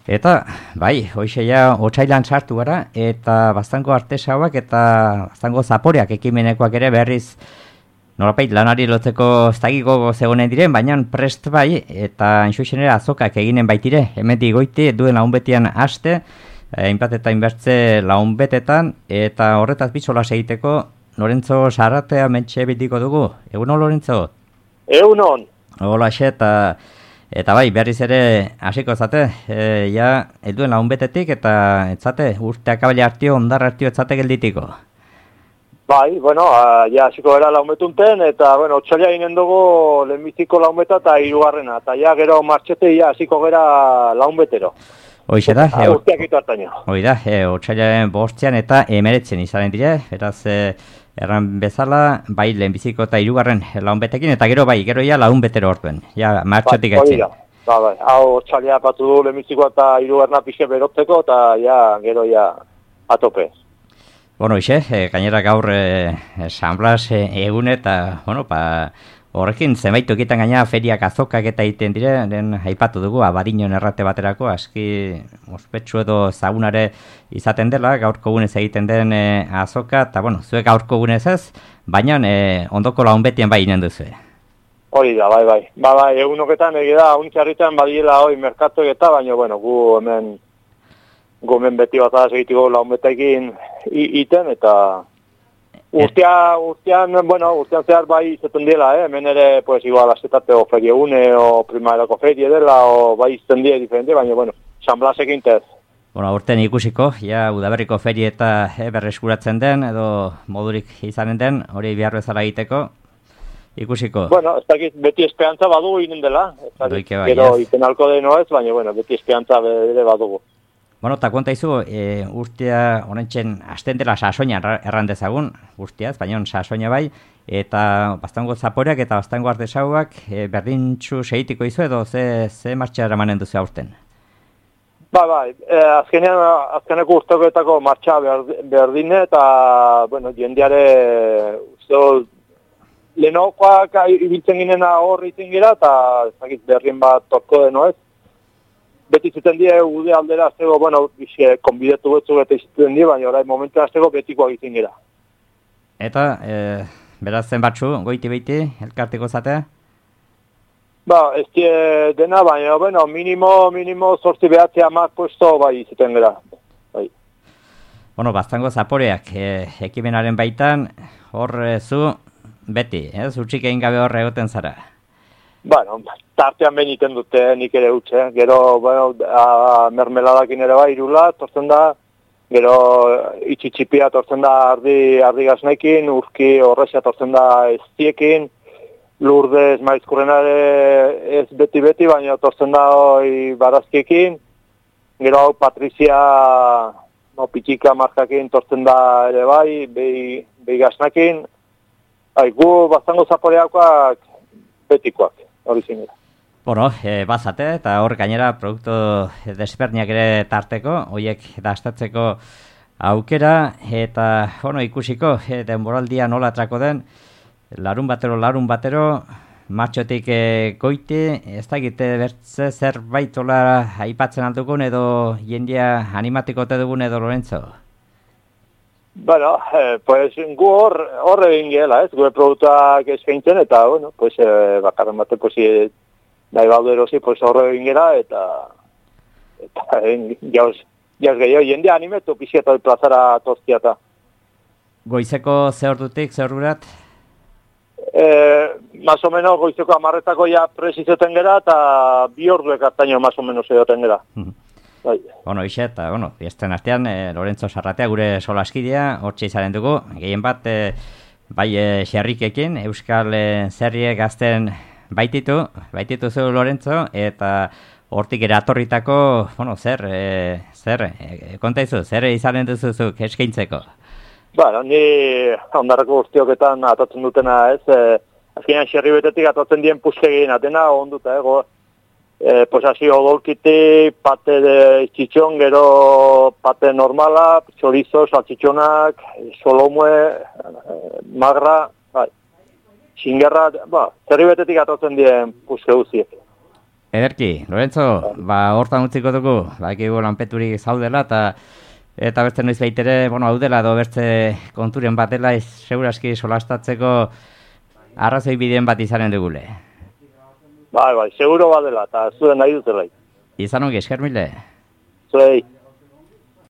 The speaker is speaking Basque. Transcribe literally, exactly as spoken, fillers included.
Eta, bai, hoxe ja otsailan sartu gara, eta Baztango artesauak eta Baztango zaporeak ekimenekoak ere berriz norapait lanari lotzeko ez dakiko zegonen diren, baina prest bai, eta enxuxenera azokak eginen baitire, hemetik goiti duen launbetian haste, hainbat eta inbertze launbetetan, eta horretaz bitzola egiteko Lorentzo Sarratea mentxe bitiko dugu. Egunon, Lorentzo? Egunon. Hola, xe, eta... Eta bai, berriz ere hasiko zate, e, ja, elduen launbetetik eta etzate, urteak abele hartio, ondar hartio etzate gelditiko. Bai, bueno, a, ja hasiko gara launbetunten, eta, bueno, otxaila ginen dugu lehenbiziko launbeta eta hirugarrena, eta ja gero martxete ja hasiko gara launbetero. Hoixe da, e, urteak itu hartaino. Hoi da, e, otxailaren bostean eta emeretzen izanen dire, beraz, e, erran bezala, bai lehenbiziko eta hirugarren launbetekin, eta gero bai, gero ja launbetero hortuen, ja martxotik ba, gaitzen. Ba, bai, hau otxaila patu du lehenbiziko eta hirugarrena pixe berotzeko, eta ja, gero ja, atope. Bueno, ixe, e, gainera gaur e, San Blas e, egun eta, bueno, pa, horrekin zenbait tokitan gaina feriak azokak eta egiten dire, den aipatu dugu, Abadiñon errate baterako, aski ospetsu edo zagunare izaten dela, gaurko gunez egiten den e, azoka, eta bueno, zuek gaurko gunez ez, baina e, ondoko launbetian bai inen duzu. Hori da, bai, bai. Ba, bai, egunoketan egida, unitxarritan badiela hoi merkatuek eta, baina, bueno, gu hemen, gu hemen beti bat azegitiko launbetekin iten, eta urtea, urtean, bueno, urtean zehar bai izaten dela, eh? Hemen ere, pues, igual, azetateo ferie une, o primarako ferie dela, o bai izaten dira diferente, baina, bueno, San Blasekin tez. Bueno, urten ikusiko, ja, Udaberriko ferie eta e, berreskuratzen den, edo modurik izanen den, hori behar bezala egiteko, ikusiko. Bueno, ez dakit, beti esperantza badugu inen dela, ez dakit, bai, gero iten alko deno ez, baina, bueno, beti esperantza bere badugu. Bueno, eta konta izu, e, urtea honentzen hasten dela sasoina erran dezagun, urteaz, baina sasoina bai, eta Baztango zaporeak eta Baztango artesauak e, berdintxu segitiko izu edo ze, ze martxa eramanen duzu aurten? Ba, bai, e, azkenean, azkeneko urtekoetako martxa berdine eta, bueno, jendeare, uste, lehenokoak ibiltzen ginena horri izin gira, eta ezakit berrien bat torko deno ez. Beti zuten die ude aldera aztego, bueno, iske, konbidetu betzu eta izuten die, baina orain momentu aztego betikoak izin gira. Eta, e, beraz zen batzu, goiti beiti, elkarteko zatea? Ba, ez die dena, baina, bueno, minimo, minimo zortzi behatzea amak puesto bai izuten gara. Bai. Bueno, Baztango zaporeak, e, ekimenaren baitan, hor e, zu, beti, ez, utxik egin gabe hor egoten zara? Bueno, tartean behin iten dute, nik ere utxe. Gero, bueno, a, mermeladakin ere bai, irula, tortzen da, gero itxitxipia tortzen da ardi, ardi gaznaikin, urki horrexia tortzen da eztiekin, Lourdes maizkurrenare ez beti-beti, baina tortzen da hoi barazkiekin, gero hau Patrizia no, pitxika markakin tortzen da ere bai, behi, behi gaznakin, hai, gu Baztango zaporeakoak betikoak. Hori zinera. Bueno, e, bazate, eta hor gainera produktu desberniak ere tarteko, horiek dastatzeko aukera, eta bueno, ikusiko, e, denboraldia nola atrako den, larun batero, larun batero, martxotik e, goiti, ez da egite bertze zerbait hola aipatzen aldukun, edo jendia animatiko te dugun edo Lorentzo? Bueno, eh, pues gu hor, hor egin gela, ez, gure produktuak eskaintzen, eta, bueno, pues, eh, bakarren bate, pues, eh, nahi baldu erosi, pues, hor egin gela, eta, eta, eh, jauz, jauz gehiago, jende animetu pixieta plazara tozkiata. Goizeko ze ordutik, ze ordurat? Eh, más o menos, goizeko amarretako ja presizeten gera, eta bi orduek hartaino, más o menos, egoten gera. Bai. Bueno, ixe, eta, bueno, biesten artean, e, Lorentzo Sarratea gure solaskidea, hortxe izaren dugu, gehien bat, e, bai, e, xerrikekin, Euskal e, Zerriek gazten baititu, baititu zu Lorentzo, eta hortik eratorritako, bueno, zer, e, zer, e, konta izu, zer izanen duzuzuk eskaintzeko? Bueno, ni ondarrako urtioketan atatzen dutena, ez, e, azkenean xerri betetik atatzen dien puzkegin, atena onduta, ego, Eh, pues así odolkiti, pate de txitxon, gero pate normala, chorizo, salchichonak, solomue, eh, magra, bai. Xingerra, ba, zerri betetik atotzen dien puzke guziek. Ederki, Lorenzo, ba, hortan utziko dugu, ba, ekibu lanpeturik zaudela, eta eta beste noiz baitere, bueno, hau dela, edo beste konturen bat dela, ez, seguraski solastatzeko arrazoi bideen bat izanen dugule. Bai, bai, seguro bat dela, eta zuen nahi dutela. Izan ongi, esker mile. Zuei.